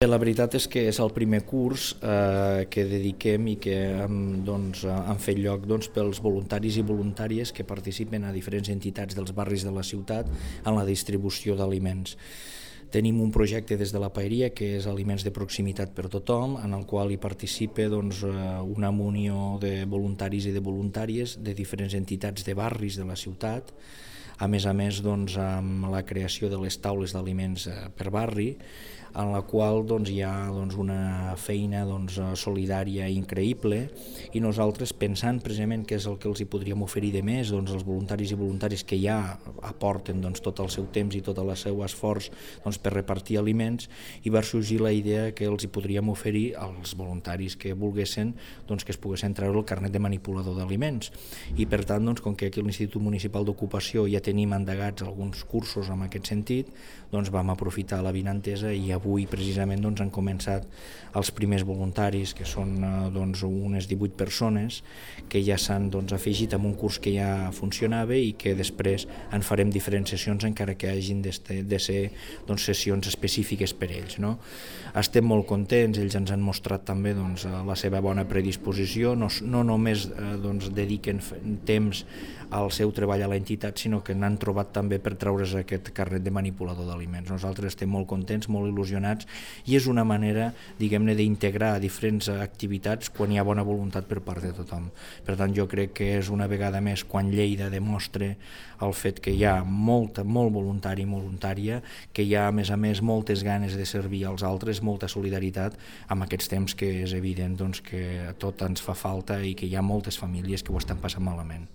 La veritat és que és el primer curs que dediquem i que han fet lloc pels voluntaris i voluntàries que participen a diferents entitats dels barris de la ciutat en la distribució d'aliments. Tenim un projecte des de la Paeria que és Aliments de Proximitat per Tothom, en el qual hi participa una munió de voluntaris i de voluntàries de diferents entitats de barris de la ciutat, a més amb la creació de les taules d'aliments per barri, en la qual hi ha una feina solidària increïble, i nosaltres, pensant precisament què és el que els hi podríem oferir de més, els voluntaris i voluntàries que ja aporten tot el seu temps i tot el seu esforç per repartir aliments, i va sorgir la idea que els hi podríem oferir als voluntaris que volguessin que es poguessin treure el carnet de manipulador d'aliments. I per tant, com que aquí a l'Institut Municipal d'Ocupació ja tenim endegats alguns cursos en aquest sentit, vam aprofitar l'avinentesa i avui precisament han començat els primers voluntaris, que són unes 18 persones que ja s'han afegit a un curs que ja funcionava i que després en farem diferents sessions, encara que hagin de ser sessions específiques per ells. Estem molt contents, ells ens han mostrat també la seva bona predisposició, no només dediquen temps al seu treball a l'entitat, sinó que n'han trobat també per treure's aquest carnet de manipulador d'aliments. Nosaltres estem molt contents, molt il·lusionats, i és una manera, diguem-ne, d'integrar diferents activitats quan hi ha bona voluntat per part de tothom. Per tant, jo crec que és una vegada més quan Lleida demostra el fet que hi ha molt voluntari i voluntària, que hi ha a més moltes ganes de servir als altres, molta solidaritat amb aquests temps que és evident que tot ens fa falta i que hi ha moltes famílies que ho estan passant malament.